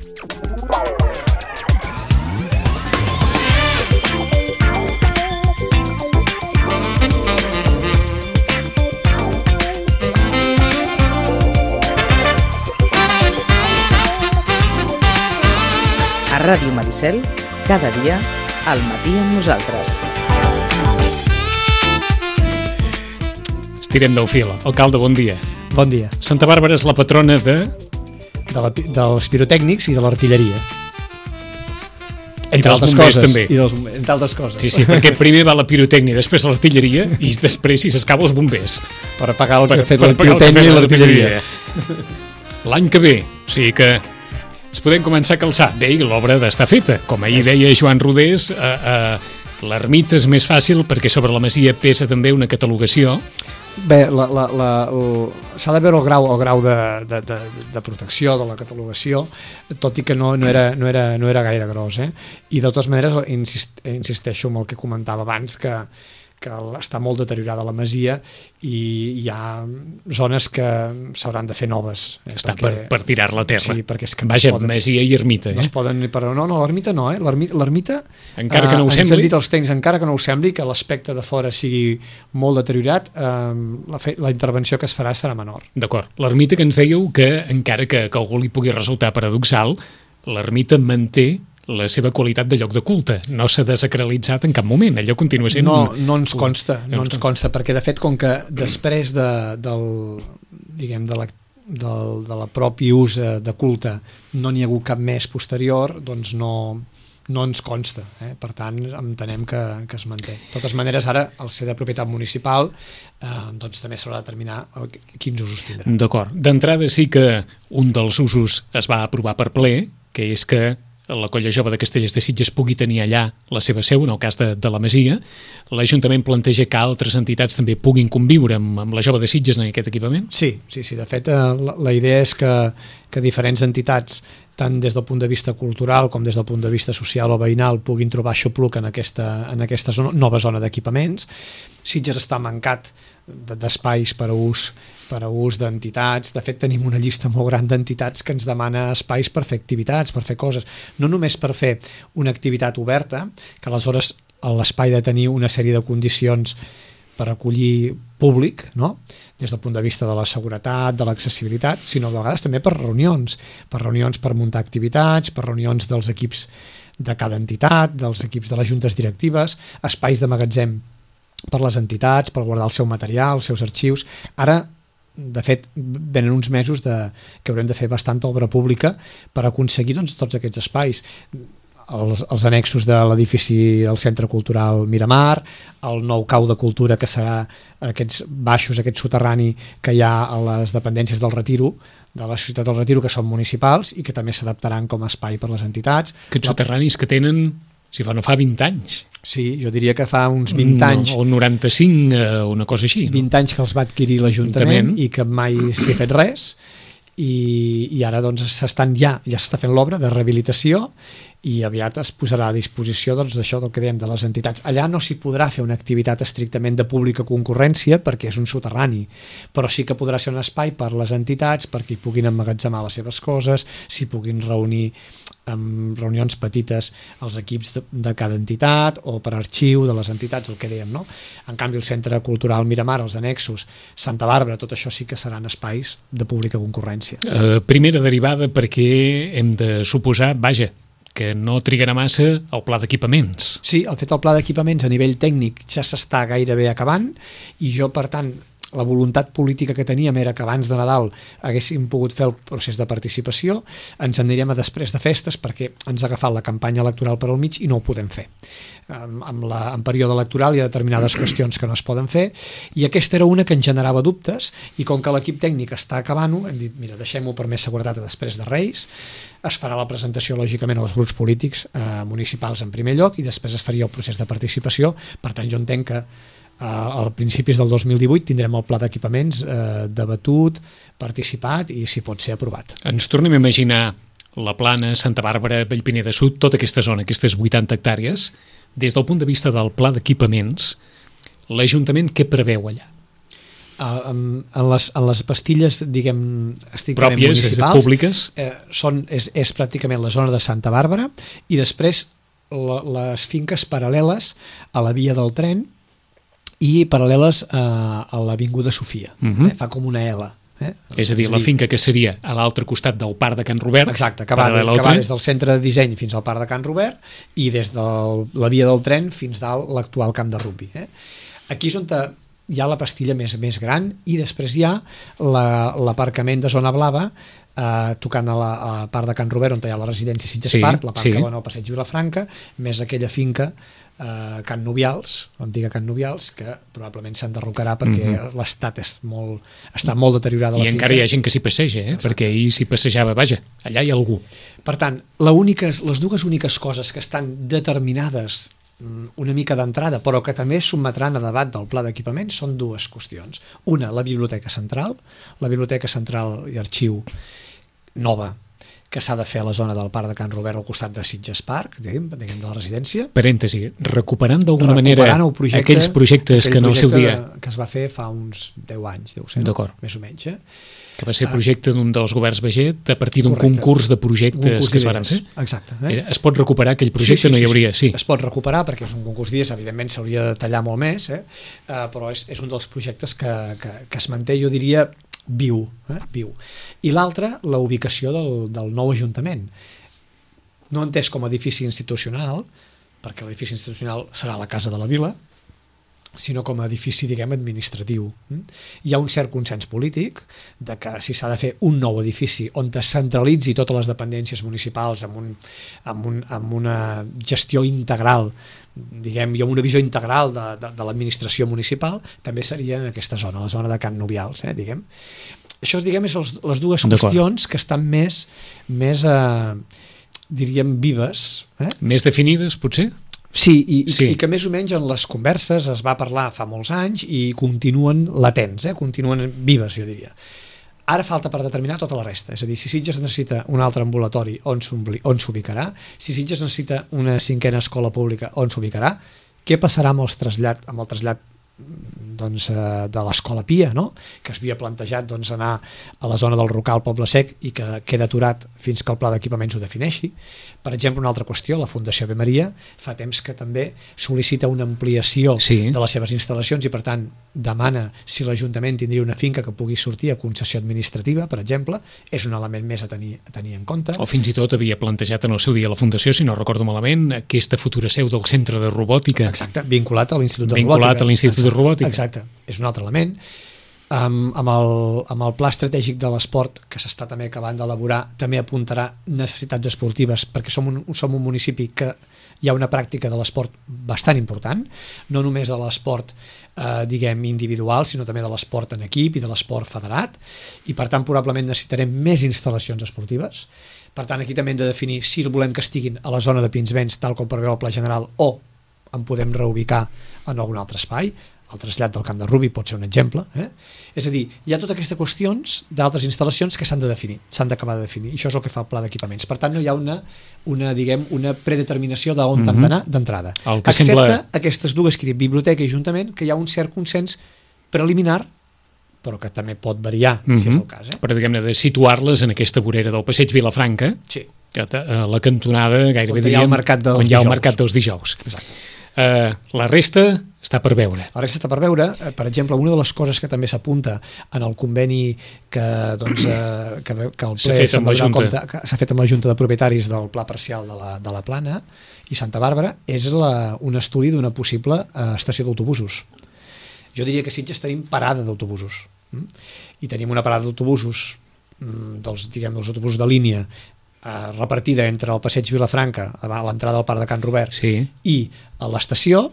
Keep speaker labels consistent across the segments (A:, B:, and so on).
A: A Ràdio Maricel, cada dia, al matí amb nosaltres.
B: Estirem del fil. Alcalde, bon dia.
C: Bon dia.
B: Santa Bàrbara és la patrona
C: dels pirotècnics i de l'artilleria.
B: Entre altres coses. També.
C: Entre altres coses.
B: Sí, perquè primer va la pirotècnia, després l'artilleria i després, si s'escava, els bombers.
C: Per apagar el que ha fet la pirotècnia i l'artilleria.
B: L'any que ve, o sigui que ens podem començar a calçar. Bé, l'obra d'estar feta. Com ahir deia Joan Rodés, l'ermita és més fàcil perquè sobre la masia pesa també una catalogació.
C: Bé, s'ha de veure el grau de protecció de la catalogació, tot i que no era gaire gros, i de totes maneres insisteixo en el que comentava abans, que està molt deteriorada la masia i hi ha zones que s'hauran de fer noves.
B: Està per tirar-la a terra.
C: Sí, perquè és que
B: vaja, masia i ermita.
C: No es poden... No, l'ermita no, l'ermita...
B: Encara que no ho sembli.
C: Ens han dit els tècnics, encara que no ho sembli, que l'aspecte de fora sigui molt deteriorat, la intervenció que es farà serà menor.
B: D'acord. L'ermita, que ens dèieu que, encara que algú li pugui resultar paradoxal, l'ermita manté la seva qualitat de lloc de culte. No s'ha desacralitzat en cap moment. Allò continua sent...
C: No ens consta, perquè de fet, com que després de la propi ús de culte no n'hi ha hagut cap més posterior, doncs no ens consta. Per tant, entenem que es manté. De totes maneres, ara, al ser de propietat municipal, doncs també s'haurà de determinar quins usos tindrà.
B: D'acord. D'entrada sí que un dels usos es va aprovar per ple, que és que la Colla Jove de Castellers de Sitges pugui tenir allà la seva seu, en el cas de la Masia. L'Ajuntament planteja que altres entitats també puguin conviure amb la Jove de Sitges en aquest equipament?
C: Sí. De fet, la idea és que diferents entitats, tant des del punt de vista cultural com des del punt de vista social o veïnal, puguin trobar xupluc en aquesta nova zona d'equipaments. Sitges està mancat d'espais per a ús d'entitats. De fet, tenim una llista molt gran d'entitats que ens demana espais per fer activitats, per fer coses. No només per fer una activitat oberta, que aleshores l'espai de tenir una sèrie de condicions per acollir públic, no? Des del punt de vista de la seguretat, de l'accessibilitat, sinó de vegades també per reunions per muntar activitats, per reunions dels equips de cada entitat, dels equips de les juntes directives, espais de magatzem per les entitats, per guardar el seu material, els seus arxius. Ara, de fet, venen uns mesos que haurem de fer bastanta obra pública per aconseguir tots aquests espais. Els annexos de l'edifici del Centre Cultural Miramar, el nou cau de cultura que serà aquests baixos, aquest soterrani que hi ha a les dependències del Retiro, de la Societat del Retiro, que són municipals i que també s'adaptaran com a espai per les entitats.
B: Aquests soterranis que tenen, no fa 20 anys.
C: Sí, jo diria que fa uns 20 anys.
B: O 95, una cosa així.
C: 20 anys que els va adquirir l'Ajuntament i que mai s'hi ha fet res. I ara doncs ja s'està fent l'obra de rehabilitació i aviat es posarà a disposició d'això del que dèiem de les entitats. Allà no s'hi podrà fer una activitat estrictament de pública concurrència perquè és un soterrani, però sí que podrà ser un espai per les entitats perquè hi puguin emmagatzemar les seves coses, s'hi puguin reunir amb reunions petites els equips de cada entitat o per arxiu de les entitats, el que dèiem, no? En canvi, el Centre Cultural Miramar, els annexos, Santa Bàrbara, tot això sí que seran espais de pública concurrència.
B: Primera derivada perquè hem de suposar, que no trigarà massa el pla d'equipaments.
C: Sí, el pla d'equipaments a nivell tècnic ja s'està gairebé acabant i jo, per tant, la voluntat política que teníem era que abans de Nadal haguéssim pogut fer el procés de participació, ens anirem a després de festes perquè ens ha agafat la campanya electoral per al mig i no ho podem fer. En període electoral hi ha determinades qüestions que no es poden fer i aquesta era una que ens generava dubtes i com que l'equip tècnic està acabant-ho, hem dit, mira, deixem-ho per més seguretat a després de Reis, es farà la presentació lògicament als grups polítics municipals en primer lloc i després es faria el procés de participació. Per tant, jo entenc que a principis del 2018 tindrem el pla d'equipaments debatut, participat i si pot ser aprovat.
B: Ens tornem a imaginar la Plana, Santa Bàrbara, Vallpineda Sud, tota aquesta zona, aquestes 80 hectàrees, des del punt de vista del pla d'equipaments, l'Ajuntament què preveu allà?
C: en les pastilles, diguem, estrictament
B: pròpies,
C: municipals,
B: públiques,
C: és pràcticament la zona de Santa Bàrbara, i després les finques paral·leles a la via del tren i paral·leles a l'Avinguda Sofia. Fa com una L.
B: És a dir, la finca que seria a l'altre costat del Parc de Can Robert.
C: Exacte, que va des del centre de disseny fins al Parc de Can Robert i des de la via del tren fins dalt l'actual camp de rugbi. Aquí és on hi ha la pastilla més gran, i després hi ha l'aparcament de Zona Blava, tocant a Parc de Can Robert, on hi ha la residència Sitges Park, la part que va al passeig Vilafranca, més aquella finca Can Nubials, l'antiga Can Nubials, que probablement s'enderrocarà perquè l'estat està molt deteriorada.
B: I encara hi ha gent que s'hi passeja, perquè ahir s'hi passejava, vaja, allà hi ha algú.
C: Per tant, les dues úniques coses que estan determinades una mica d'entrada, però que també sotmetran a debat del pla d'equipament, són dues qüestions. Una, la biblioteca central i arxiu nova, que s'ha de fer a la zona del Parc de Can Robert al costat de Sitges Park, diguem, de la residència.
B: Parèntesi, recuperant d'alguna manera aquells projectes que en el seu dia...
C: que es va fer fa uns 10 anys, deu ser, més o menys.
B: Que va ser projecte d'un dels governs Baget a partir d'un concurs de projectes que es van fer.
C: Exacte.
B: Es pot recuperar aquell projecte? No hi hauria... Sí.
C: Es pot recuperar perquè és un concurs d'idees, evidentment s'hauria de tallar molt més, però és un dels projectes que es manté, jo diria, viu. I l'altre, la ubicació del nou Ajuntament. No entès com a edifici institucional, perquè l'edifici institucional serà la Casa de la Vila, sinó com a edifici, diguem, administratiu. Hi ha un cert consens polític de que si s'ha de fer un nou edifici on es centralitzi totes les dependències municipals amb una gestió integral, diguem, i amb una visió integral de l'administració municipal, també seria en aquesta zona, la zona de Can Nubials, diguem. Això, diguem, és les dues qüestions que estan més diríem, vives.
B: Més definides, potser?
C: Sí, i que més o menys en les converses es va parlar fa molts anys i continuen latents, continuen vives, jo diria. Ara falta per determinar tota la resta, és a dir, si Sitges necessita un altre ambulatori, on s'ubicarà, si Sitges necessita una 5a escola pública, on s'ubicarà, què passarà amb el trasllat de l'Escola Pia, que es havia plantejat anar a la zona del Rocal Poble Sec i que queda aturat fins que el pla d'equipaments ho defineixi. Per exemple, una altra qüestió, la Fundació Ave Maria fa temps que també sol·licita una ampliació de les seves instal·lacions i, per tant, demana si l'Ajuntament tindria una finca que pugui sortir a concessió administrativa, per exemple. És un element més a tenir en compte.
B: O fins i tot havia plantejat en el seu dia la Fundació, si no recordo malament, aquesta futura seu del Centre de Robòtica.
C: Exacte, vinculat a l'Institut de Robòtica. Exacte, és un altre element. Amb el pla estratègic de l'esport que s'està també acabant d'elaborar, també apuntarà necessitats esportives, perquè som un municipi que hi ha una pràctica de l'esport bastant important, no només de l'esport diguem individual, sinó també de l'esport en equip i de l'esport federat, i per tant probablement necessitarem més instal·lacions esportives. Per tant, aquí també hem de definir si volem que estiguin a la zona de Pinsbens, tal com preveu el Pla General, o en podem reubicar en algun altre espai. El trasllat del camp de rugbi pot ser un exemple. És a dir, hi ha totes aquestes qüestions d'altres instal·lacions que s'han de definir, s'han d'acabar de definir, i això és el que fa el pla d'equipaments. Per tant, no hi ha una predeterminació d'on han d'anar d'entrada. Excepte aquestes dues que dic, biblioteca i ajuntament, que hi ha un cert consens preliminar, però que també pot variar, si és el cas.
B: Però, diguem-ne, de situar-les en aquesta vorera del passeig Vilafranca, a la cantonada, gairebé diríem, on hi ha el mercat dels dijous.
C: Exacte.
B: La resta està per veure.
C: La resta està per veure. Per exemple, una de les coses que també s'apunta en el conveni que el ple s'ha fet amb la Junta de Propietaris del Pla Parcial de la Plana i Santa Bàrbara és un estudi d'una possible estació d'autobusos. Jo diria que a Sitges tenim parada d'autobusos i tenim una parada d'autobusos dels autobusos de línia repartida entre el passeig Vilafranca, a l'entrada al Parc de Can Robert, i a l'estació,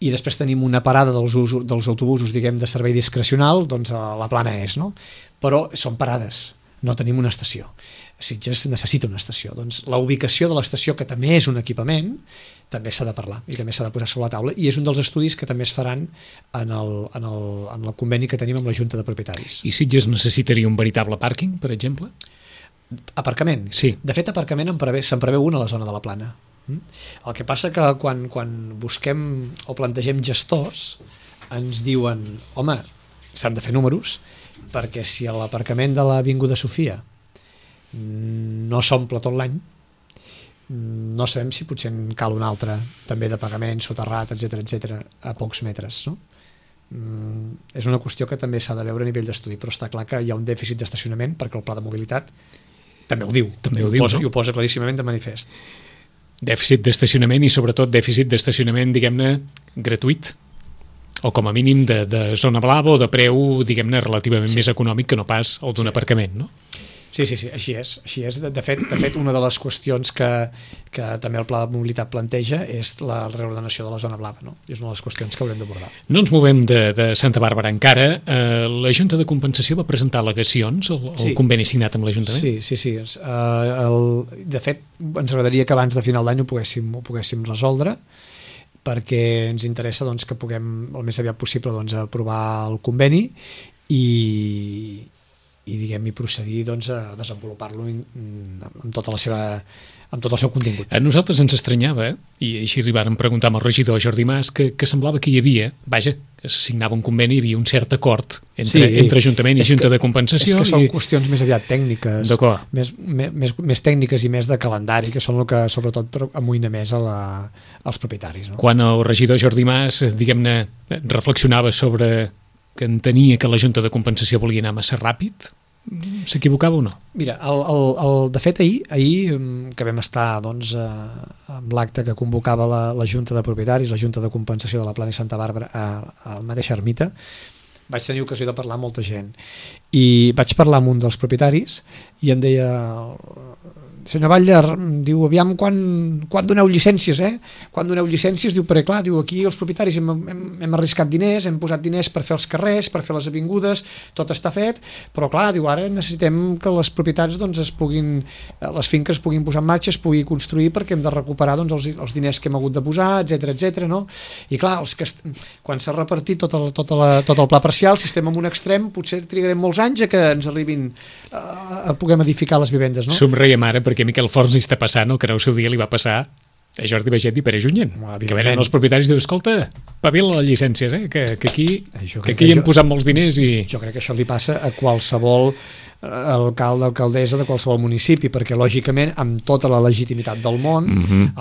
C: i després tenim una parada dels autobusos, diguem, de servei discrecional, doncs a la Plana és, no? Però són parades, no tenim una estació. Sitges necessita una estació. Doncs la ubicació de l'estació, que també és un equipament, també s'ha de parlar i també s'ha de posar sobre la taula, i és un dels estudis que també es faran en el conveni que tenim amb la Junta de Propietaris.
B: I Sitges necessitaria un veritable pàrquing, per exemple?
C: Aparcament?
B: Sí.
C: De fet, aparcament se'n preveu un a la zona de la Plana. El que passa que quan busquem o plantegem gestors ens diuen, home, s'han de fer números, perquè si l'aparcament de l'Avinguda Sofia no s'omple tot l'any, no sabem si potser en cal un altre també de pagament, soterrat, etc a pocs metres, no? És una qüestió que també s'ha de veure a nivell d'estudi, però està clar que hi ha un dèficit d'estacionament perquè el pla de mobilitat també ho diu, i ho posa claríssimament de manifest.
B: Dèficit d'estacionament i sobretot dèficit d'estacionament, diguem-ne, gratuït, o com a mínim de zona blava o de preu, diguem-ne, relativament més econòmic que no pas el d'un aparcament, no?
C: Sí, així és. De fet, una de les qüestions que també el Pla de Mobilitat planteja és la reordenació de la zona blava, no? És una de les qüestions que haurem d'abordar.
B: No ens movem de Santa Bàrbara encara. La Junta de Compensació va presentar al·legacions al conveni signat amb l'Ajuntament?
C: Sí. De fet, ens agradaria que abans de final d'any ho poguéssim resoldre, perquè ens interessa que puguem el més aviat possible aprovar el conveni i procedir a desenvolupar-lo amb tot el seu contingut.
B: A nosaltres ens estranyava, i així arribàrem a preguntar amb el regidor Jordi Mas, que semblava que hi havia, que se signava un conveni, hi havia un cert acord entre Ajuntament i Junta de Compensació.
C: És que són qüestions més aviat tècniques, més tècniques i més de calendari, que són el que sobretot amoïna més als propietaris. No?
B: Quan el regidor Jordi Mas, diguem-ne, reflexionava sobre que entenia que la Junta de Compensació volia anar massa ràpid, s'equivocava o no?
C: Mira, de fet ahir que vam estar amb l'acte que convocava la Junta de Propietaris, la Junta de Compensació de la Plana i Santa Bàrbara a la mateixa ermita, vaig tenir ocasió de parlar amb molta gent i vaig parlar amb un dels propietaris i em deia: senyor Batlle, diu, aviam quan doneu llicències, Quan doneu llicències, diu, perquè clar, diu, aquí els propietaris hem arriscat diners, hem posat diners per fer els carrers, per fer les avingudes, tot està fet, però clar, diu, ara necessitem que les propietats les finques es puguin posar en marxa, es pugui construir perquè hem de recuperar els diners que hem hagut de posar, etc, no? I clar, quan s'ha repartit tot el pla parcial, si estem en un extrem, potser trigarem molts anys a que ens arribin a puguem edificar les vivendes, no?
B: Somreiem ara perquè Miquel Forns hi està passant el que en el seu dia li va passar a Jordi Baget i Pere Junyent, que venen els propietaris i diuen, escolta, pavila les llicències, que aquí hem posat molts diners i...
C: Jo crec que això li passa a qualsevol alcalde, alcaldessa de qualsevol municipi, perquè lògicament amb tota la legitimitat del món,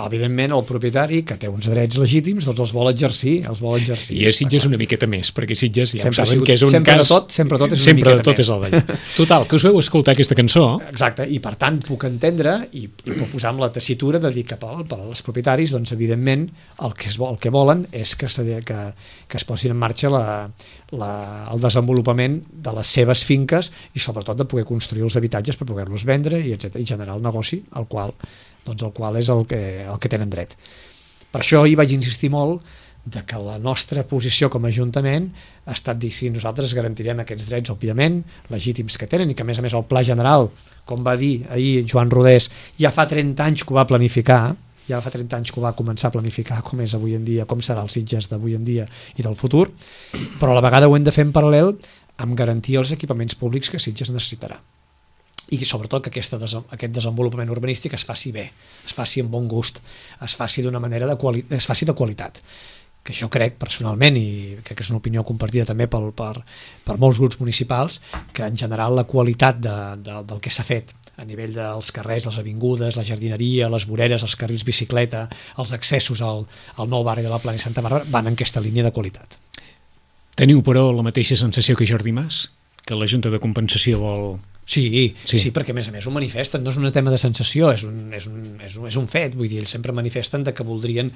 C: evidentment el propietari que té uns drets legítims els vol exercir,
B: I a Sitges una miqueta més, perquè Sitges ja ho saben que és un cas...
C: Sempre tot és una miqueta més.
B: És el d'allà. Total, que us veu escoltar aquesta cançó.
C: Exacte, i per tant puc entendre i puc posar amb la tessitura de dir que per als propietaris, evidentment el que volen és que es posin en marxa el desenvolupament de les seves finques i sobretot de poder construir els habitatges per poder-los vendre i generar el negoci al qual és el que tenen dret. Per això hi vaig insistir molt de que la nostra posició com a Ajuntament ha estat dir si nosaltres garantirem aquests drets, òbviament, legítims que tenen i que a més el Pla General, com va dir ahir Joan Rodés, ja fa 30 anys que ho va planificar, ja fa 30 anys que ho va començar a planificar com és avui en dia, com serà el Sitges d'avui en dia i del futur, però a la vegada ho hem de fer en paral·lel amb garantir els equipaments públics que Sitges necessitarà. I sobretot que aquest desenvolupament urbanístic es faci bé, es faci amb bon gust, es faci d'una manera es faci de qualitat. Que jo crec personalment, i crec que és una opinió compartida també per molts grups municipals, que en general la qualitat del que s'ha fet a nivell dels carrers, les avingudes, la jardineria, les voreres, els carrils bicicleta, els accessos al nou barri de la Plana i Santa Bàrbara van en aquesta línia de qualitat.
B: Teniu, però, la mateixa sensació que Jordi Mas? Que la Junta de Compensació vol...
C: Sí, perquè a més ho manifesten, no és un tema de sensació, és un fet, vull dir, ells sempre manifesten que voldrien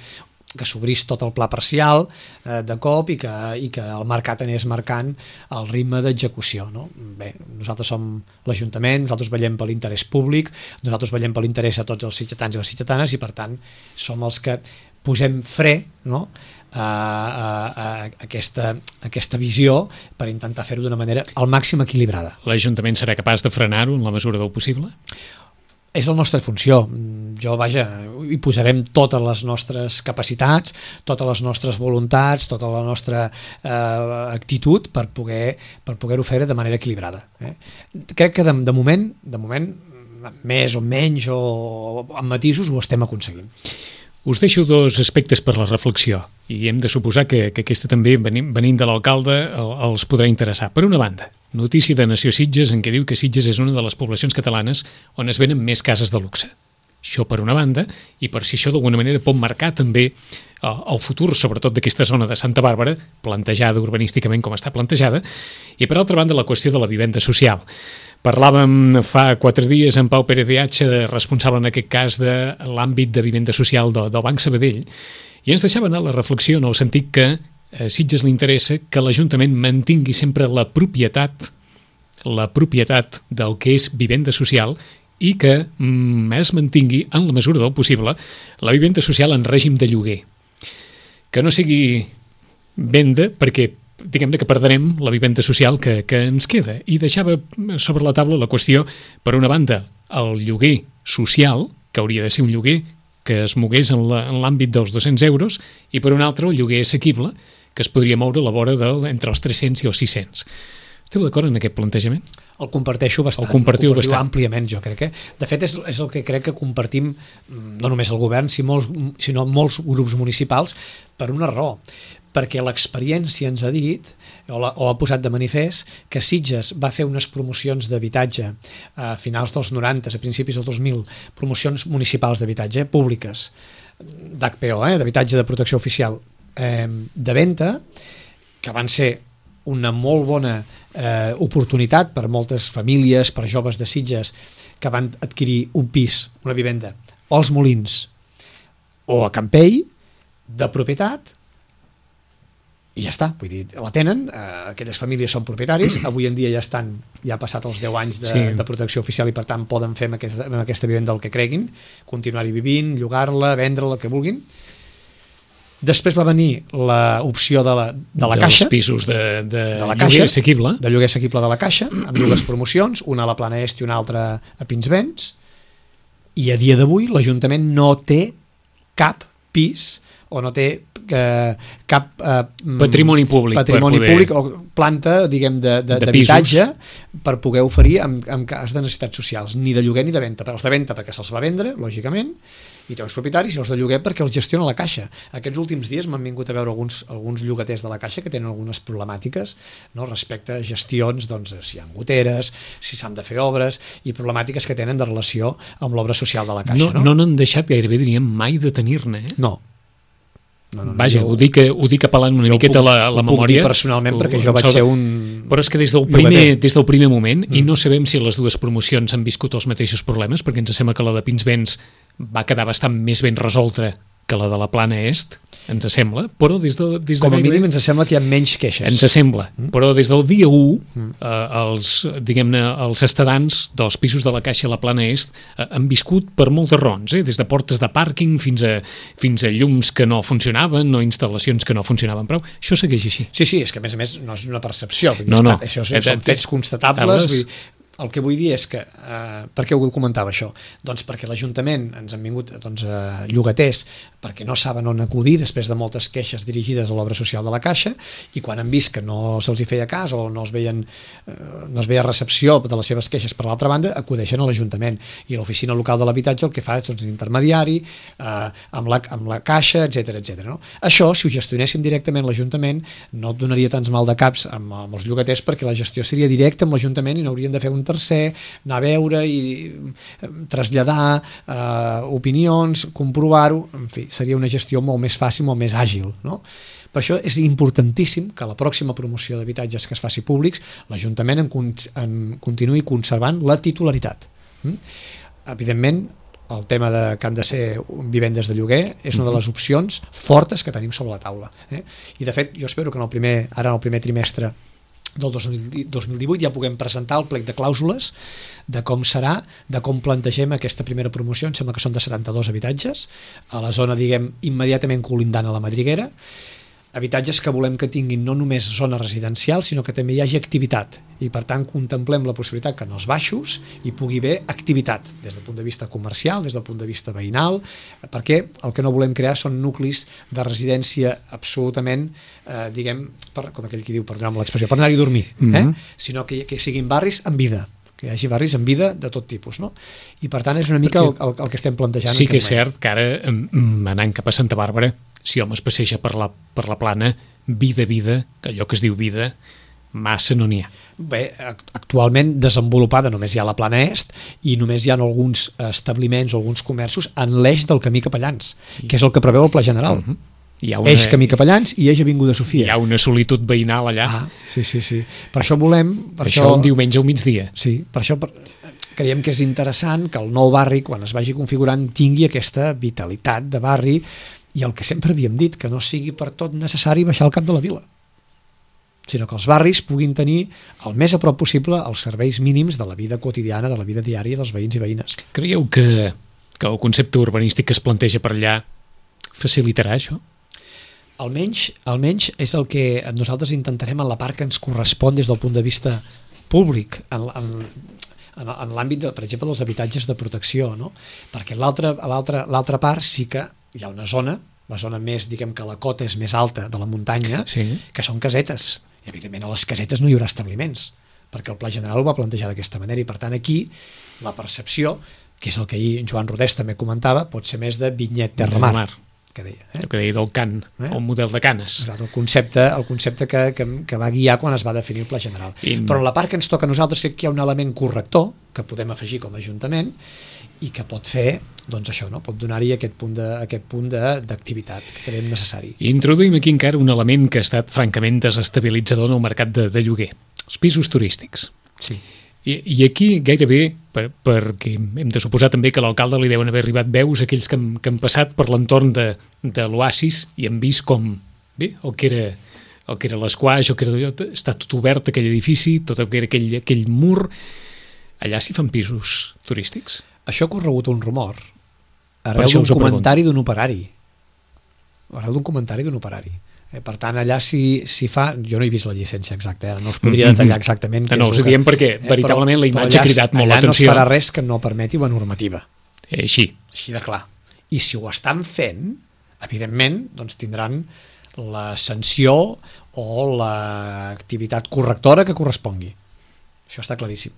C: que s'obrís tot el pla parcial de cop i que el mercat anés marcant el ritme d'execució, no? Bé, nosaltres som l'Ajuntament, nosaltres vetllem per l'interès públic, nosaltres vetllem per l'interès de tots els sitgetans i les sitgetanes i per tant som els que posem fre, no?, a aquesta visió per intentar fer-ho d'una manera al màxim equilibrada.
B: L'Ajuntament serà capaç de frenar-ho en la mesura del possible?
C: És la nostra funció. Hi posarem totes les nostres capacitats, totes les nostres voluntats, tota la nostra actitud per poder-ho fer de manera equilibrada. Crec que de moment, més o menys o amb matisos, ho estem aconseguint.
B: Us deixo dos aspectes per la reflexió i hem de suposar que aquesta també, venint de l'alcalde, els podrà interessar. Per una banda, notícia de Nació Sitges en què diu que Sitges és una de les poblacions catalanes on es venen més cases de luxe. Això per una banda, i per si això d'alguna manera pot marcar també el futur, sobretot d'aquesta zona de Santa Bàrbara, plantejada urbanísticament com està plantejada, i per altra banda la qüestió de la vivenda social. Parlàvem fa 4 dies amb Pau Pérez de H, responsable en aquest cas de l'àmbit de vivenda social del Banc Sabadell, i ens deixava anar la reflexió en el sentit que a Sitges li interessa que l'Ajuntament mantingui sempre la propietat del que és vivenda social i que es mantingui, en la mesura del possible, la vivenda social en règim de lloguer. Que no sigui venda, perquè diguem-ne que perdrem la vivenda social que ens queda. I deixava sobre la taula la qüestió, per una banda, el lloguer social, que hauria de ser un lloguer que es mogués en l'àmbit dels 200 euros, i per una altra, el lloguer assequible, que es podria moure a la vora entre els 300 i els 600. Esteu d'acord en aquest plantejament?
C: El comparteixo bastant.
B: El compartiu bastant.
C: Àmpliament, jo crec. De fet, és el que crec que compartim no només el govern, sinó molts grups municipals, per una raó. Perquè l'experiència ens ha dit, o ha posat de manifest, que Sitges va fer unes promocions d'habitatge a finals dels 90, a principis del 2000, promocions municipals d'habitatge, públiques, d'HPO, d'habitatge de protecció oficial, de venda, que van ser una molt bona oportunitat per moltes famílies, per joves de Sitges que van adquirir un pis, una vivenda, o als Molins o a Campell, de propietat, i ja està, vull dir, la tenen, aquelles famílies són propietaris, avui en dia ja ha passat els 10 anys de protecció oficial i per tant poden fer amb aquesta vivenda el que creguin, continuar-hi vivint, llogar-la, vendre-la, el que vulguin. Després va venir l'opció de la Caixa.
B: Dels pisos de
C: la
B: lloguer assequible.
C: De lloguer assequible de la Caixa, amb dues promocions, una a la Plana Est i una altra a Pinsbens, i a dia d'avui l'Ajuntament no té cap pis o no té cap
B: patrimoni públic
C: o planta, diguem, d'habitatge per poder oferir en cas de necessitats socials, ni de lloguer ni de venda. Els de venda perquè se'ls va vendre, lògicament, i té uns propietaris, i els de lloguer perquè els gestiona la Caixa. Aquests últims dies m'han vingut a veure alguns llogaters de la Caixa que tenen algunes problemàtiques, no, respecte a gestions, doncs, si hi ha goteres, si s'han de fer obres, i problemàtiques que tenen de relació amb l'obra social de la Caixa.
B: No n'han deixat gairebé, diríem, mai de tenir-ne.
C: No.
B: Vaja, ho dic apel·lant una miqueta a la memòria.
C: Ho puc dir personalment perquè jo vaig ser un...
B: Però és que des del primer moment, i no sabem si les dues promocions han viscut els mateixos problemes, perquè ens sembla que la de Pinsbens va quedar bastant més ben resolta que la de la Plana Est, ens sembla, però des de
C: com a mínim ens sembla que hi ha menys queixes.
B: Ens sembla, però des del dia 1 els estadants dels pisos de la Caixa a la Plana Est han viscut per moltes raons, des de portes de pàrquing fins a llums que no funcionaven o instal·lacions que no funcionaven prou. Això segueix així.
C: Sí, és que a més no és una percepció, això són fets constatables. El que vull dir és que, per què ho comentava això? Doncs perquè l'Ajuntament ens han vingut llogaters perquè no saben on acudir després de moltes queixes dirigides a l'obra social de la Caixa, i quan han vist que no se'ls hi feia cas o no es veia recepció de les seves queixes per l'altra banda, acudeixen a l'Ajuntament, i l'oficina local de l'habitatge el que fa és intermediari amb la Caixa, etc. No? Això, si ho gestionéssim directament l'Ajuntament, no et donaria tants mal de caps amb els llogaters, perquè la gestió seria directa amb l'Ajuntament i no haurien de fer un tercer, anar a veure i traslladar opinions, comprovar-ho, en fi, seria una gestió molt més fàcil, molt més àgil, no? Per això és importantíssim que la pròxima promoció d'habitatges que es faci públics l'Ajuntament en continuï conservant la titularitat. Evidentment, el tema que han de ser vivendes de lloguer és una de les opcions fortes que tenim sobre la taula. I de fet, jo espero que en el primer trimestre del 2018 ja puguem presentar el plec de clàusules de com serà, de com plantegem aquesta primera promoció. Em sembla que són de 72 habitatges a la zona, diguem, immediatament colindant a la Madriguera, habitatges que volem que tinguin no només zona residencial, sinó que també hi hagi activitat, i per tant contemplem la possibilitat que en els baixos hi pugui haver activitat des del punt de vista comercial, des del punt de vista veïnal, perquè el que no volem crear són nuclis de residència absolutament, diguem, com aquell que diu, perdoneu l'expressió, per anar-hi a dormir, sinó que siguin barris amb vida, que hi hagi barris en vida de tot tipus, no? I per tant és una mica el que estem plantejant.
B: Sí que és cert que ara, anant cap a Santa Bàrbara, si home es passeja per la Plana, vida, allò que es diu vida, massa no n'hi ha.
C: Bé, actualment desenvolupada només hi ha la Plana Est i només hi ha alguns establiments o alguns comerços en l'eix del camí Capellans, que és el que preveu el Pla General. Eix camí Capellans i eix Avinguda Sofia.
B: Hi ha una solitud veïnal allà.
C: Sí. Per això volem...
B: Per això un diumenge al migdia.
C: Sí, per això creiem que és interessant que el nou barri, quan es vagi configurant, tingui aquesta vitalitat de barri i el que sempre havíem dit, que no sigui per tot necessari baixar al cap de la vila, sinó que els barris puguin tenir el més a prop possible els serveis mínims de la vida quotidiana, de la vida diària dels veïns i veïnes.
B: Creieu que el concepte urbanístic que es planteja per allà facilitarà això?
C: Almenys és el que nosaltres intentarem en la part que ens correspon des del punt de vista públic, en l'àmbit, per exemple, dels habitatges de protecció, no? Perquè a l'altra part sí que hi ha una zona, la zona més, diguem que la cota és més alta de la muntanya, que són casetes. I evidentment a les casetes no hi haurà establiments, perquè el Pla General ho va plantejar d'aquesta manera, i per tant aquí la percepció, que és el que ahir Joan Rodés també comentava, pot ser més de vinyet terra-mar, que deia.
B: El que deia del Can, el model de Canes.
C: Exacte, el concepte que va guiar quan es va definir el Pla General. Però en la part que ens toca a nosaltres crec que hi ha un element corrector que podem afegir com a Ajuntament i que pot fer, doncs això, no? Pot donar-hi aquest punt d'activitat que creiem necessari.
B: Introduïm aquí encara un element que ha estat francament desestabilitzador en el mercat de lloguer, els pisos turístics.
C: Sí.
B: I aquí gairebé, perquè hem de suposar també que a l'alcalde li deuen haver arribat veus aquells que han passat per l'entorn de l'Oasis i han vist com, bé, el que era l'Esquaix, està tot obert aquell edifici, tot el que era aquell mur. Allà s'hi fan pisos turístics?
C: Això ha corregut un rumor arrel d'un comentari d'un operari. Per tant, allà si fa... Jo no he vist la llicència exacta, no us podria detallar exactament...
B: No, us ho diem perquè veritablement la imatge ha cridat molt l'atenció.
C: Allà no es farà res que no permeti la normativa.
B: Així
C: de clar. I si ho estan fent, evidentment, doncs tindran la sanció o l'activitat correctora que correspongui. Això està claríssim.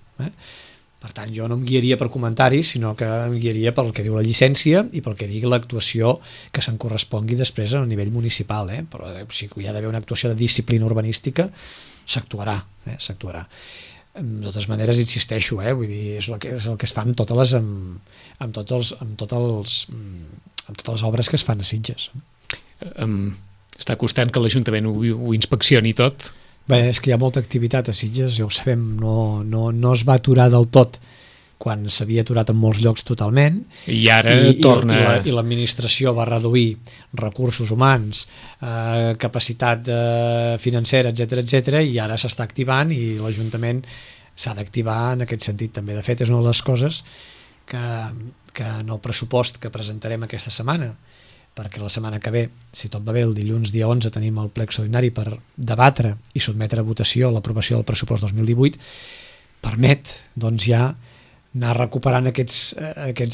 C: Per tant, jo no em guiaria per comentaris, sinó que em guiaria pel que diu la llicència i pel que digui l'actuació que se'n correspongui després a nivell municipal. Però si hi ha d'haver una actuació de disciplina urbanística, s'actuarà. De totes maneres, insisteixo, vull dir, és el que es fa amb totes les obres que es fan a Sitges.
B: Està costant que l'Ajuntament ho inspeccioni tot?
C: Bé, és que hi ha molta activitat a Sitges, ja ho sabem, no es va aturar del tot quan s'havia aturat en molts llocs totalment.
B: I ara torna...
C: I l'administració va reduir recursos humans, capacitat financera, etc, i ara s'està activant i l'Ajuntament s'ha d'activar en aquest sentit també. De fet, és una de les coses que en el pressupost que presentarem aquesta setmana, perquè la setmana que ve, si tot va bé, el dilluns dia 11 tenim el ple extraordinari per debatre i sotmetre a votació l'aprovació del pressupost 2018, permet doncs ja anar recuperant aquests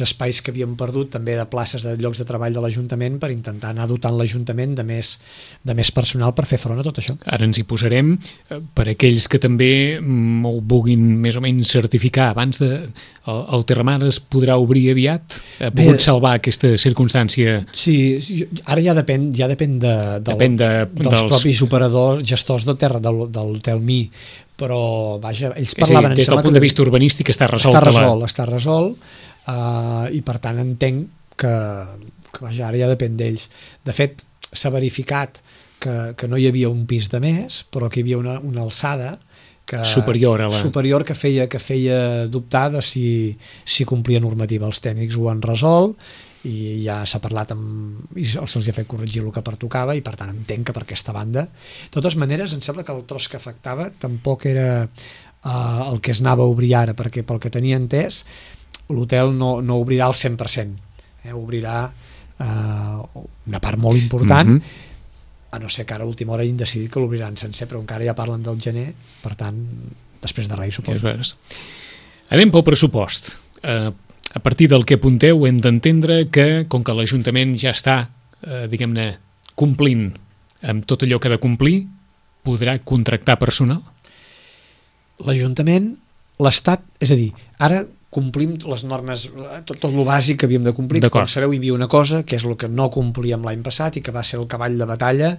C: espais que havíem perdut, també de places de llocs de treball de l'Ajuntament, per intentar anar dotant l'Ajuntament de més personal per fer front a tot això.
B: Ara ens hi posarem. Per aquells que també ho vulguin més o menys certificar, abans el Terramar es podrà obrir aviat? Ha pogut salvar aquesta circumstància?
C: Sí, ara ja depèn dels propis operadors, gestors de terra del Hotel Mi, però vaja, ells parlaven...
B: Des del punt de vista urbanístic està resolt.
C: Està resolt i per tant entenc que vaja, ara ja depèn d'ells. De fet, s'ha verificat que no hi havia un pis de més, però que hi havia una alçada superior que feia dubtar de si complia normativa. Els tècnics ho han resolt i ja s'ha parlat i se'ls ha fet corregir el que pertocava i per tant entenc que per aquesta banda. De totes maneres, em sembla que el tros que afectava tampoc era el que es anava a obrir ara, perquè pel que tenia entès l'hotel no obrirà al 100%, obrirà una part molt important, a no ser que ara a última hora hagin decidit que l'obriran sencer, però encara ja parlen del gener, per tant, després de res, suposo.
B: Anem pel pressupost. A partir del que apunteu hem d'entendre que, com que l'Ajuntament ja està, diguem-ne, complint amb tot allò que ha de complir, podrà contractar personal?
C: L'Ajuntament l'Estat, és a dir, ara complim les normes, tot el bàsic que havíem de complir. Com sabeu, hi havia una cosa que és el que no complíem l'any passat i que va ser el cavall de batalla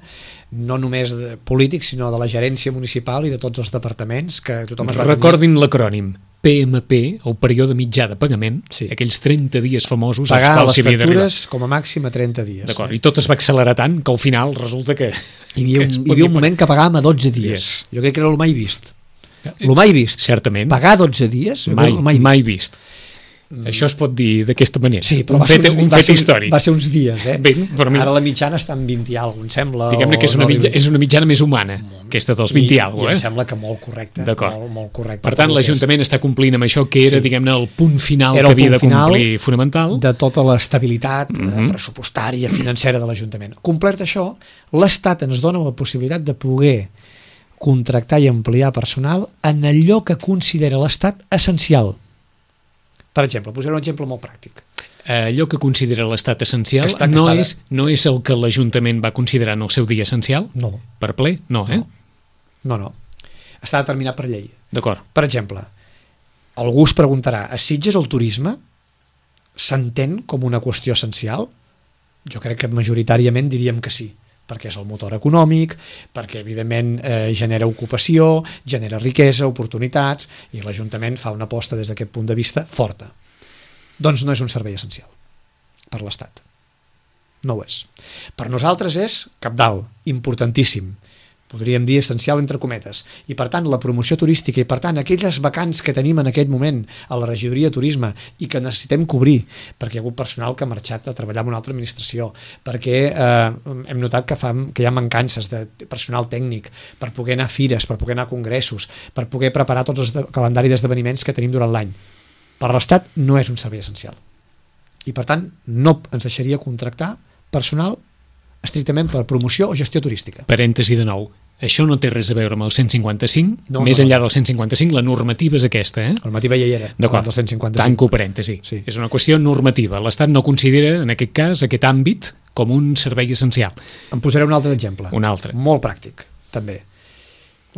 C: no només de polítics, sinó de la gerència municipal i de tots els departaments, que tothom es va
B: Recordin l'acrònim PMP, el període mitjà de pagament, aquells 30 dies famosos
C: pagar les factures com a màxim a 30 dies.
B: D'acord, i tot es va accelerar tant que al final resulta que...
C: Hi havia un moment que pagàvem a 12 dies. Jo crec que era el mai vist. El mai vist.
B: Certament.
C: Pagar 12 dies?
B: Mai vist. Això es pot dir d'aquesta manera.
C: Sí, però
B: un fet històric.
C: Va ser uns dies,
B: Ben,
C: ara la mitjana està en 20 i alguna cosa, em sembla.
B: Diguem-ne que és una mitjana més humana, aquesta dels 20 i alguna cosa.
C: I em sembla que molt correcte.
B: Molt correcte. Per tant, l'Ajuntament està complint amb això que era, diguem-ne, el punt final que havia de complir fonamental.
C: De tota l'estabilitat pressupostària, financera de l'Ajuntament. Complert això, l'Estat ens dona la possibilitat de poder contractar i ampliar personal en allò que considera l'Estat essencial. Per exemple, posaré un exemple molt pràctic.
B: Allò que considera l'Estat essencial no és el que l'Ajuntament va considerar en el seu dia essencial?
C: No.
B: Per ple? No, eh?
C: No. Està determinat per llei.
B: D'acord.
C: Per exemple, algú es preguntarà, a Sitges el turisme s'entén com una qüestió essencial? Jo crec que majoritàriament diríem que sí, perquè és el motor econòmic, perquè evidentment genera ocupació, genera riquesa, oportunitats, i l'Ajuntament fa una aposta des d'aquest punt de vista forta. Doncs no és un servei essencial per l'Estat. No ho és. Per nosaltres és cabdal, importantíssim. Podríem dir essencial entre cometes, i per tant la promoció turística i per tant aquelles vacants que tenim en aquest moment a la regidoria de turisme i que necessitem cobrir perquè hi ha hagut personal que ha marxat a treballar en una altra administració, perquè hem notat que hi ha mancances de personal tècnic per poder anar a fires, per poder anar a congressos, per poder preparar tots els calendari d'esdeveniments que tenim durant l'any. Per l'Estat no és un servei essencial i per tant no ens deixaria contractar personal estrictament per promoció o gestió turística.
B: Parèntesi de nou. Això no té res a veure amb el 155, més enllà del 155, la normativa és aquesta, eh?
C: La normativa ja hi era,
B: d'acord,
C: del 155.
B: Tanco parèntesi. Sí. És una qüestió normativa. L'Estat no considera, en aquest cas, aquest àmbit com un servei essencial.
C: Em posaré un altre exemple.
B: Un altre.
C: Molt pràctic, també.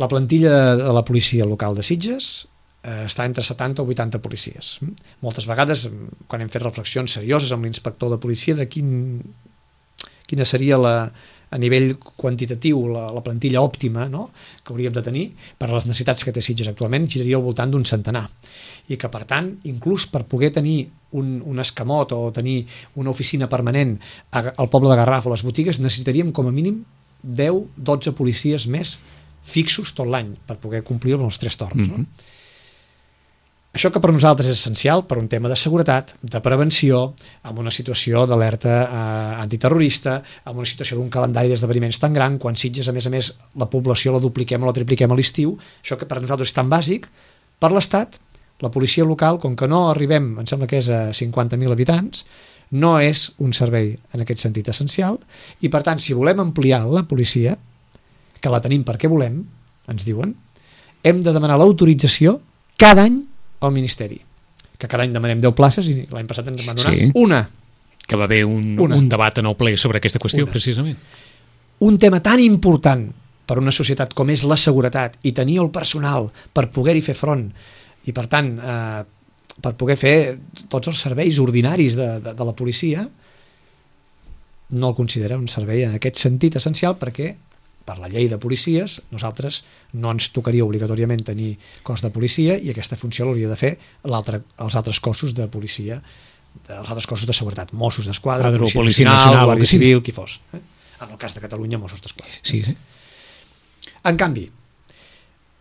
C: La plantilla de la policia local de Sitges està entre 70 o 80 policies. Moltes vegades, quan hem fet reflexions serioses amb l'inspector de policia de quina seria a nivell quantitatiu la plantilla òptima, no?, que hauríem de tenir per a les necessitats que té Sitges actualment, giraria al voltant d'un centenar. I que, per tant, inclús per poder tenir un escamot o tenir una oficina permanent al poble de Garraf o les botigues, necessitaríem com a mínim 10-12 policies més fixos tot l'any per poder complir amb els 3 torns. No? Això que per nosaltres és essencial per un tema de seguretat, de prevenció, amb una situació d'alerta antiterrorista, amb una situació d'un calendari d'esdeveniments tan gran, quan Sitges, a més, la població la dupliquem o la tripliquem a l'estiu, això que per nosaltres és tan bàsic, per l'Estat, la policia local, com que no arribem, em sembla que és a 50.000 habitants, no és un servei en aquest sentit essencial, i per tant, si volem ampliar la policia, que la tenim perquè volem, ens diuen, hem de demanar l'autorització cada any al Ministeri, que cada any demanem 10 places i l'any passat ens van donar una.
B: Que va haver un debat en el ple sobre aquesta qüestió, precisament.
C: Un tema tan important per una societat com és la seguretat i tenir el personal per poder-hi fer front i, per tant, per poder fer tots els serveis ordinaris de la policia, no el considera un servei en aquest sentit essencial perquè per la llei de policies, nosaltres no ens tocaria obligatòriament tenir cos de policia i aquesta funció l'hauria de fer els altres cossos de policia, els altres cossos de seguretat, Mossos d'Esquadra,
B: Policia Nacional,
C: Guàrdia Civil, qui fos. En el cas de Catalunya, Mossos d'Esquadra.
B: Sí.
C: En canvi,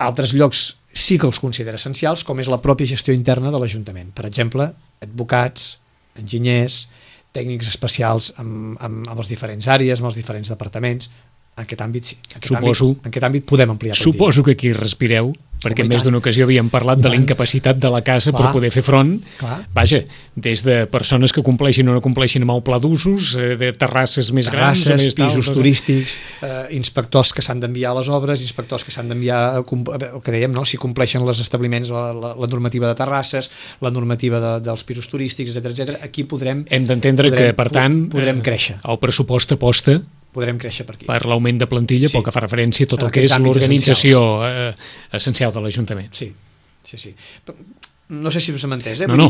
C: altres llocs sí que els considera essencials, com és la pròpia gestió interna de l'Ajuntament. Per exemple, advocats, enginyers, tècnics especials amb les diferents àrees, amb els diferents departaments. En aquest àmbit sí. En aquest àmbit podem ampliar.
B: Suposo que aquí respireu, perquè en més d'una ocasió havíem parlat de la incapacitat de la casa per poder fer front. Vaja, des de persones que compleixin o no compleixin amb el pla d'usos, de terrasses més grans,
C: pisos turístics, inspectors que s'han d'enviar a les obres, inspectors que s'han d'enviar, el que dèiem, si compleixen els establiments, la normativa de terrasses, la normativa dels pisos turístics, etc. Aquí podrem...
B: Hem d'entendre que, per tant,
C: podrem créixer.
B: El pressupost aposta
C: podrem créixer per aquí.
B: Per l'augment de plantilla, pel que fa referència a tot el que és l'organització essencial de l'Ajuntament.
C: Sí. Sí. No sé si us hem entès,
B: No,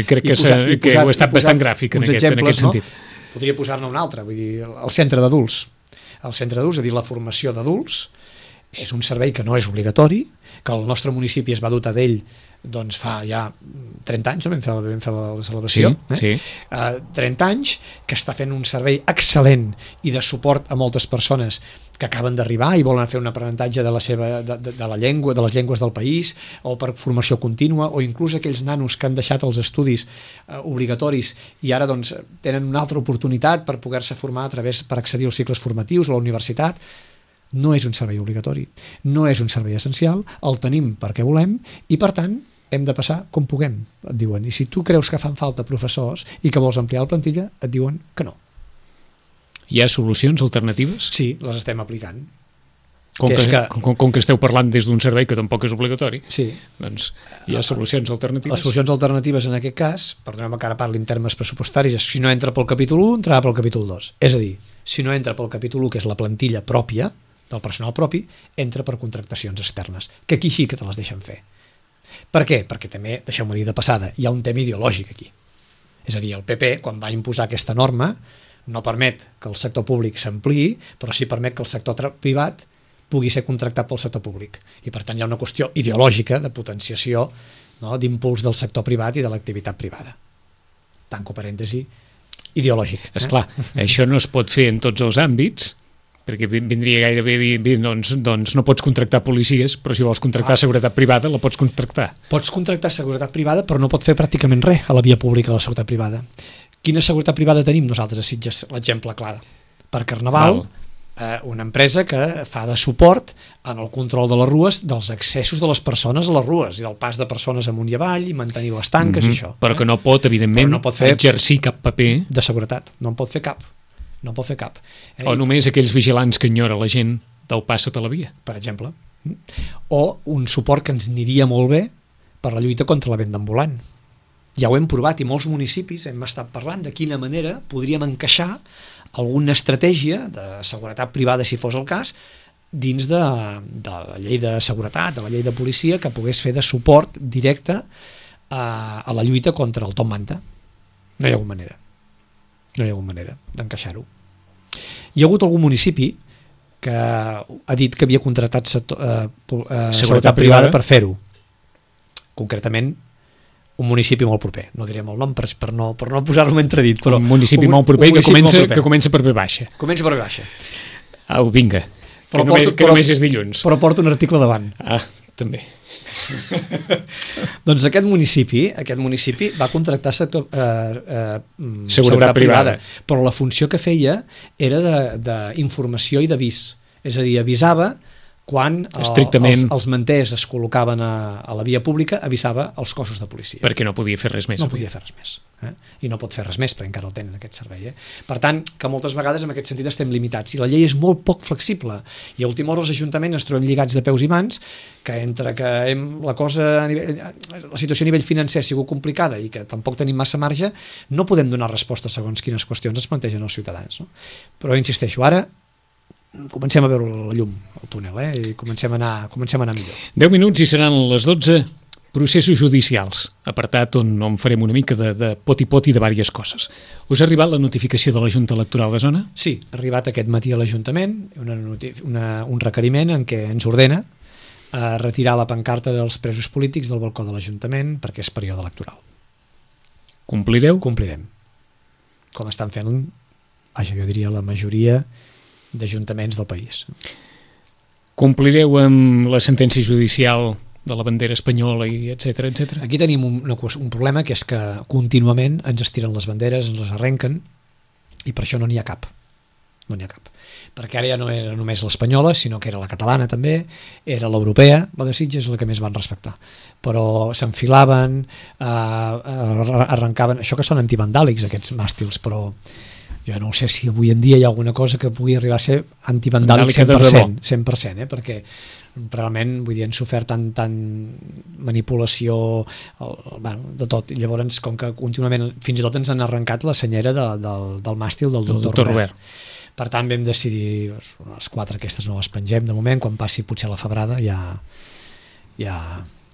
B: crec que heu estat bastant gràfic en aquest sentit.
C: Podria posar-ne un altre, vull dir, el centre d'adults. El centre d'adults, és a dir, la formació d'adults, és un servei que no és obligatori, que el nostre municipi es va dotar d'ell doncs fa ja 30 anys, no? vam fer la celebració,
B: sí.
C: 30 anys, que està fent un servei excel·lent i de suport a moltes persones que acaben d'arribar i volen fer un aprenentatge de la llengua, de les llengües del país, o per formació contínua, o inclús aquells nanos que han deixat els estudis obligatoris i ara doncs tenen una altra oportunitat per poder-se formar per accedir als cicles formatius o a la universitat. No és un servei obligatori, no és un servei essencial, el tenim perquè volem i per tant hem de passar com puguem, et diuen. I si tu creus que fan falta professors i que vols ampliar la plantilla, et diuen que no.
B: Hi ha solucions alternatives?
C: Sí, les estem aplicant.
B: Com que esteu parlant des d'un servei que tampoc és obligatori,
C: sí.
B: Doncs hi ha solucions alternatives.
C: Les solucions alternatives en aquest cas, perdoneu-me que ara parli en termes pressupostaris, si no entra pel capítol 1, entrarà pel capítol 2. És a dir, si no entra pel capítol 1, que és la plantilla pròpia, del personal propi, entra per contractacions externes, que aquí sí que te les deixen fer. Per què? Perquè també, deixeu-m'ho dir de passada, hi ha un tema ideològic aquí. És a dir, el PP, quan va imposar aquesta norma, no permet que el sector públic s'ampliï, però sí permet que el sector privat pugui ser contractat pel sector públic. I per tant hi ha una qüestió ideològica de potenciació, no?, d'impuls del sector privat i de l'activitat privada. Tanco parèntesi, ideològic.
B: Esclar, això no es pot fer en tots els àmbits, perquè vindria gairebé a dir doncs no pots contractar policies, però si vols contractar seguretat privada la pots contractar.
C: Pots contractar seguretat privada, però no pot fer pràcticament res a la via pública de la seguretat privada. Quina seguretat privada tenim nosaltres a Sitges? L'exemple clar. Per Carnaval, una empresa que fa de suport en el control de les rues, dels accessos de les persones a les rues i del pas de persones amunt i avall i mantenir les tanques i això.
B: Però que no pot, evidentment, exercir cap paper
C: de seguretat. No en pot fer cap. No pot fer cap.
B: O només aquells vigilants que enyora la gent del pas sota la via.
C: Per exemple. O un suport que ens aniria molt bé per la lluita contra la venda ambulant. Ja ho hem provat i molts municipis hem estat parlant de quina manera podríem encaixar alguna estratègia de seguretat privada, si fos el cas, dins de la llei de seguretat, de la llei de policia, que pogués fer de suport directe a la lluita contra el top manta. No hi ha hagut manera. No hi ha hagut manera d'encaixar-ho. Hi ha hagut algun municipi que ha dit que havia contractat seguretat privada per fer-ho. Concretament, un municipi molt proper. No direm el nom per no posar-lo entredit, però
B: un municipi molt proper que comença per B baixa.
C: Comença per B baixa.
B: Au, vinga. Que només és dilluns.
C: Però porta un article davant.
B: També.
C: Doncs aquest municipi va contractar
B: seguretat privada,
C: però la funció que feia era d'informació i d'avís, és a dir, avisava quan els manters es col·locaven a la via pública, avisava els cossos de policia.
B: Perquè no podia fer res més.
C: No podia fer res més. I no pot fer res més, perquè encara el tenen, aquest servei. Per tant, que moltes vegades en aquest sentit estem limitats. I la llei és molt poc flexible. I a última hora els ajuntaments ens trobem lligats de peus i mans, que entre que la situació a nivell financer ha sigut complicada i que tampoc tenim massa marge, no podem donar resposta segons quines qüestions es plantegen els ciutadans. No? Però insisteixo, ara comencem a veure la llum al túnel, i comencem a anar millor.
B: 10 minuts i seran les 12. Processos judicials, apartat on farem una mica de poti-poti de diverses coses. Us ha arribat la notificació de la Junta Electoral de Zona?
C: Sí, ha arribat aquest matí a l'Ajuntament un requeriment en què ens ordena retirar la pancarta dels presos polítics del balcó de l'Ajuntament perquè és període electoral.
B: Complireu?
C: Complirem. Com estan fent, jo diria, la majoria d'ajuntaments del país.
B: Complireu amb la sentència judicial de la bandera espanyola i etcètera, etcètera?
C: Aquí tenim un problema, que és que contínuament ens estiren les banderes, ens les arrenquen, i per això no n'hi ha cap. No n'hi ha cap. Perquè ara ja no era només l'espanyola, sinó que era la catalana també, era l'europea, la de Sitges és la que més van respectar. Però s'enfilaven, arrencaven... Això que són antivandàlics, aquests màstils, però jo no sé si avui en dia hi ha alguna cosa que pugui arribar a ser antivandàlic 100%, perquè realment, vull dir, han sofert tant manipulació, de tot. I llavors, com que contínuament, fins i tot ens han arrencat la senyera del màstil del doctor Robert. Per tant, vam decidir, les 4 aquestes no les pengem de moment, quan passi potser la febrada ja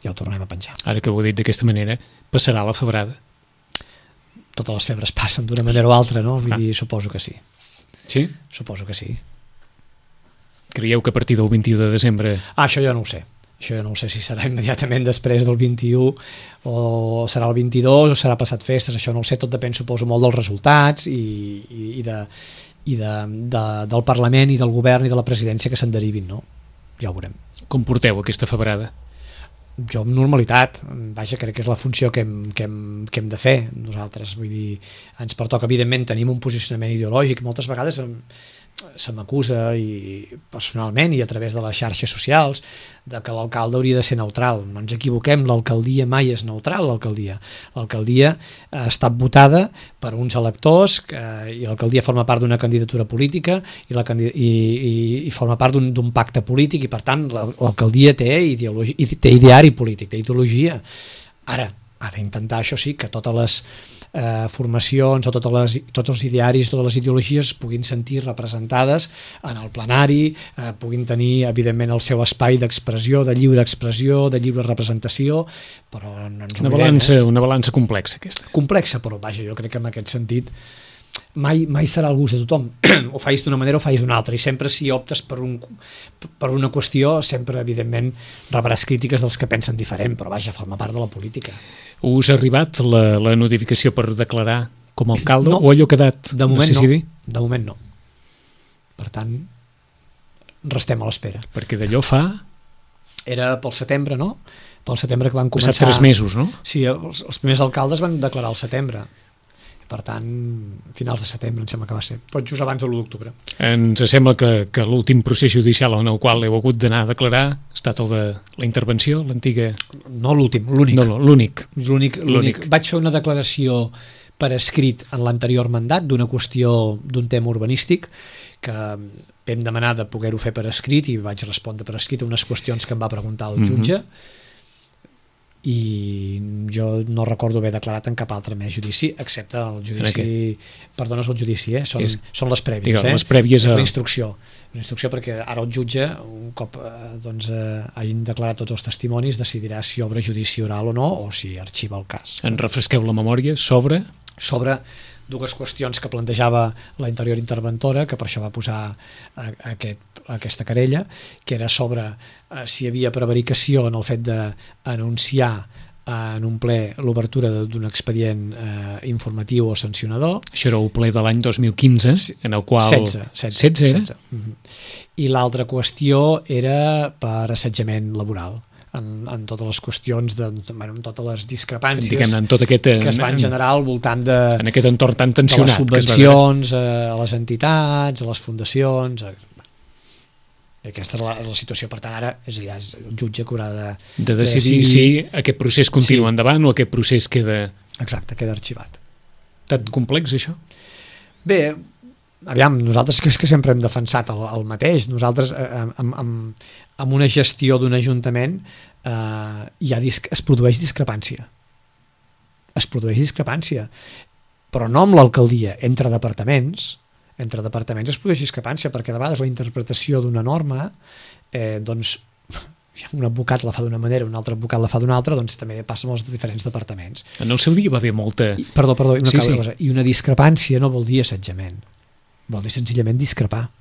C: ja ho tornem a penjar.
B: Ara que ho he dit d'aquesta manera, passarà la febrada.
C: Totes les febres passen d'una manera o altra, no? Vull dir, suposo que sí.
B: Sí?
C: Suposo que sí.
B: Creieu que a partir del 21 de desembre...
C: Això jo no ho sé. Això jo no ho sé si serà immediatament després del 21 o serà el 22 o serà passat festes, això no ho sé, tot depèn, suposo, molt dels resultats i del Parlament i del Govern i de la presidència que se'n derivin, no? Ja ho veurem.
B: Com porteu aquesta febrada?
C: Jo amb normalitat, vaja, crec que és la funció que hem de fer nosaltres, vull dir, ens pertoca, evidentment tenim un posicionament ideològic, moltes vegades se m'acusa i personalment i a través de les xarxes socials de que l'alcalde hauria de ser neutral. No ens equivoquem, l'alcaldia mai és neutral. L'alcaldia ha estat votada per uns electors i l'alcaldia forma part d'una candidatura política i forma part d'un pacte polític i per tant l'alcaldia té ideari polític, té ideologia. Ara, ha d'intentar, això sí, que totes les formacions o tots els idearis, totes les ideologies puguin sentir representades en el plenari, puguin tenir evidentment el seu espai d'expressió, de lliure expressió, de lliure representació, però no ens oblidem.
B: Una balança complexa aquesta.
C: Complexa, però vaja, jo crec que en aquest sentit mai serà el gust de tothom. O facis d'una manera o facis d'una altra, i sempre si optes per una qüestió, sempre evidentment rebràs crítiques dels que pensen diferent, però vaja, forma part de la política.
B: Us ha arribat la notificació per declarar com a alcalde,
C: no,
B: o allò ha quedat
C: de moment
B: no?
C: De moment no. Per tant, restem a l'espera.
B: Perquè d'allò fa...
C: Era pel setembre, no? Pel setembre que van començar...
B: Passat 3 mesos, no?
C: Sí, els primers alcaldes van declarar al setembre. Per tant, finals de setembre em sembla que va ser, tot just abans de l'1 d'octubre.
B: Ens sembla que l'últim procés judicial en el qual heu hagut d'anar a declarar ha estat el de la intervenció, l'antiga...
C: No l'últim, l'únic.
B: No, l'únic.
C: L'únic. Vaig fer una declaració per escrit en l'anterior mandat d'una qüestió d'un tema urbanístic que vam demanar de poder-ho fer per escrit i vaig respondre per escrit a unes qüestions que em va preguntar el jutge. I jo no recordo haver declarat en cap altre més judici, excepte el judici... Perdó, no és el judici, són les prèvies.
B: Digue'm, les prèvies
C: és la instrucció. La instrucció perquè ara el jutge, un cop hagin declarat tots els testimonis, decidirà si obre judici oral o no, o si arxiva el cas.
B: En refresqueu la memòria sobre
C: dues qüestions que plantejava la anterior interventora, que per això va posar aquesta querella, que era sobre si hi havia prevaricació en el fet d'anunciar en un ple l'obertura d'un expedient informatiu o sancionador.
B: Això era el ple de l'any 2015, en el qual... 16 era?
C: I l'altra qüestió era per assetjament laboral. En totes les qüestions, en totes les discrepàncies que es van generar al voltant
B: en aquest entorn tan tensionat,
C: de les subvencions a les entitats, a les fundacions. Aquesta és la situació. Per tant, ara és el jutge que haurà
B: de decidir si aquest procés continua endavant o aquest procés queda...
C: Exacte, queda arxivat.
B: Tan complex, això?
C: Bé, aviam, nosaltres que sempre hem defensat el mateix. Nosaltres amb una gestió d'un ajuntament es produeix discrepància. Es produeix discrepància, però no amb l'alcaldia, entre departaments es produeix discrepància, perquè de vegades la interpretació d'una norma doncs un advocat la fa d'una manera, un altre advocat la fa d'una altra, doncs també passa amb els diferents departaments.
B: En el seu dia va haver molta...
C: Perdó, cosa. I una discrepància no vol dir assetjament, vol dir senzillament discrepar.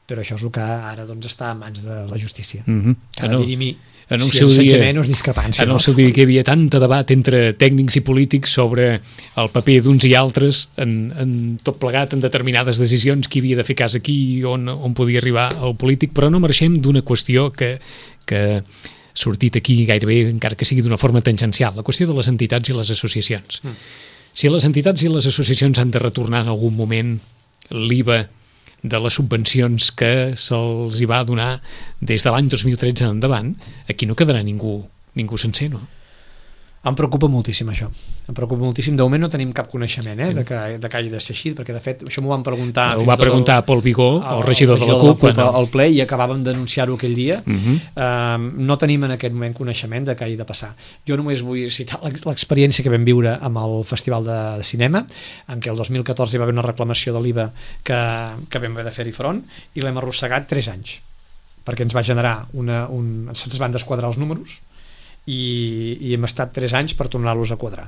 C: Però això és el que ara està a mans de la justícia. Ha de dir-hi si és assetjament o és discrepància.
B: En el seu dia que hi havia tant debat entre tècnics i polítics sobre el paper d'uns i altres en tot plegat, en determinades decisions, qui havia de fer cas aquí, on podia arribar el polític, però no marxem d'una qüestió que ha sortit aquí gairebé, encara que sigui d'una forma tangencial, la qüestió de les entitats i les associacions. Si les entitats i les associacions han de retornar en algun moment l'IVA de les subvencions que se'ls hi va donar des de l'any 2013 en endavant, aquí no quedarà ningú sencer, no?
C: Em preocupa moltíssim això. Em preocupa moltíssim. De moment no tenim cap coneixement de que hagi de ser així, perquè de fet això m'ho van preguntar...
B: Ho va preguntar Pol Vigó, el regidor de la CUP,
C: al ple, i acabàvem d'anunciar-ho aquell dia. No tenim en aquest moment coneixement de què hagi de passar. Jo només vull citar l'experiència que vam viure amb el Festival de Cinema, en què el 2014 hi va haver una reclamació de l'IVA que vam haver de fer-hi front, i l'hem arrossegat 3 anys. perquè ens va generar ens van desquadrar els números i hem estat 3 anys per tornar-los a quadrar.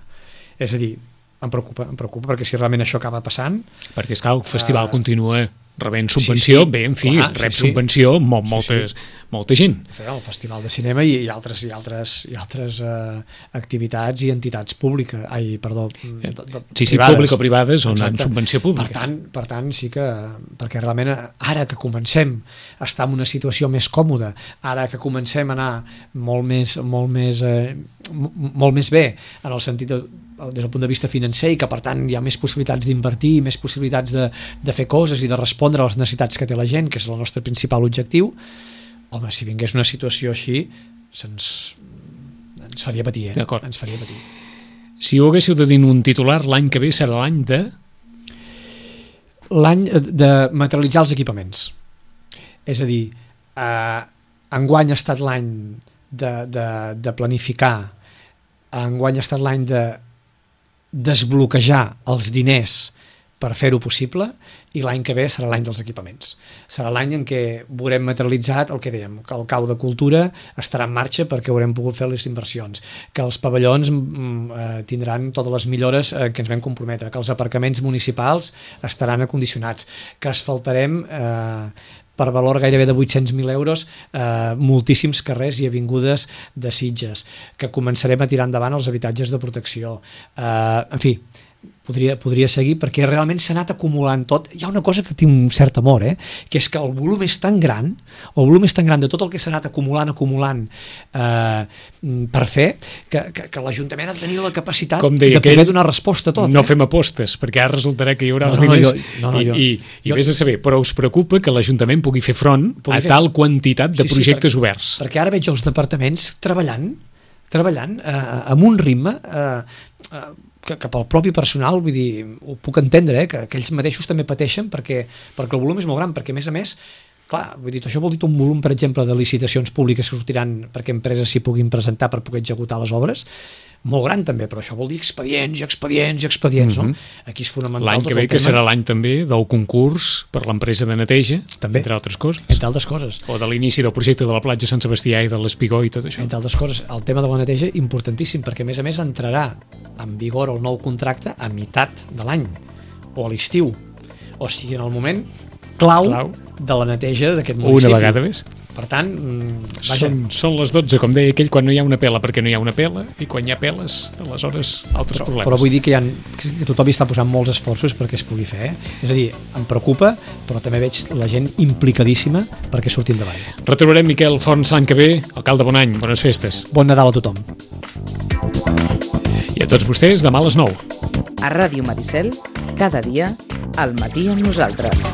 C: És a dir, em preocupa perquè si realment això acaba passant...
B: Perquè és que el festival continua rebent subvenció, sí, bé, en fi, clar, rep subvenció molta gent.
C: El Festival de Cinema i altres activitats i entitats públiques,
B: público-privades on han subvenció pública.
C: Per tant, sí que, perquè realment ara que comencem a estar en una situació més còmoda, ara que comencem a anar molt més bé en el sentit des del punt de vista financer i que per tant hi ha més possibilitats d'invertir, més possibilitats de fer coses i de respondre a les necessitats que té la gent, que és el nostre principal objectiu, home, si vingués una situació així ens faria patir, ens faria patir.
B: Si ho haguéssiu de dir un titular, l'any que ve serà l'any
C: de materialitzar els equipaments. És a dir, enguany ha estat l'any de planificar, enguany ha estat l'any de desbloquejar els diners per fer-ho possible i l'any que ve serà l'any dels equipaments. Serà l'any en què veurem materialitzat el que dèiem, que el cau de cultura estarà en marxa perquè haurem pogut fer les inversions, que els pavellons tindran totes les millores que ens vam comprometre, que els aparcaments municipals estaran acondicionats, que asfaltarem per valor gairebé de 800.000 euros moltíssims carrers i avingudes de Sitges, que començarem a tirar endavant els habitatges de protecció, en fi, podria seguir perquè realment s'ha anat acumulant tot. Hi ha una cosa que té un cert amor, que és que el volum és tan gran de tot el que s'ha anat acumulant per fer que l'Ajuntament ha de tenir la capacitat de poder donar resposta a tot.
B: No fem apostes, perquè ara resultarà que hi haurà els diners i vés a saber, però us preocupa que l'Ajuntament pugui fer front a tal quantitat de projectes oberts.
C: Perquè ara veig els departaments treballant amb un ritme que pel propi personal, vull dir, ho puc entendre, que ells mateixos també pateixen perquè el volum és molt gran, perquè a més, clar, vull dir, això vol dir un volum, per exemple, de licitacions públiques que sortiran perquè empreses s'hi puguin presentar per poder executar les obres, molt gran també, però això vol dir expedients, no? Aquí és fonamental
B: l'any que ve, que serà l'any també del concurs per l'empresa de neteja,
C: també,
B: entre altres coses. O de l'inici del projecte de la platja Sant Sebastià i de l'Espigó i tot això.
C: Entre altres coses, el tema de la neteja importantíssim, perquè a més entrarà en vigor el nou contracte a meitat de l'any, o a l'estiu, o sigui, en el moment clau de la neteja d'aquest municipi.
B: Una vegada més.
C: Per tant,
B: són les 12, com deia aquell, quan no hi ha una pela perquè no hi ha una pela, i quan hi ha peles, aleshores altres problemes.
C: Però vull dir que tothom hi està posant molts esforços perquè es pugui fer. És a dir, em preocupa, però també veig la gent implicadíssima perquè surti endavant.
B: Retrobarem Miquel Forns l'any que ve. Alcalde, bon any, bones festes.
C: Bon Nadal a tothom.
B: I a tots vostès, demà a les 9.
A: A Ràdio Maricel, cada dia, al matí amb nosaltres.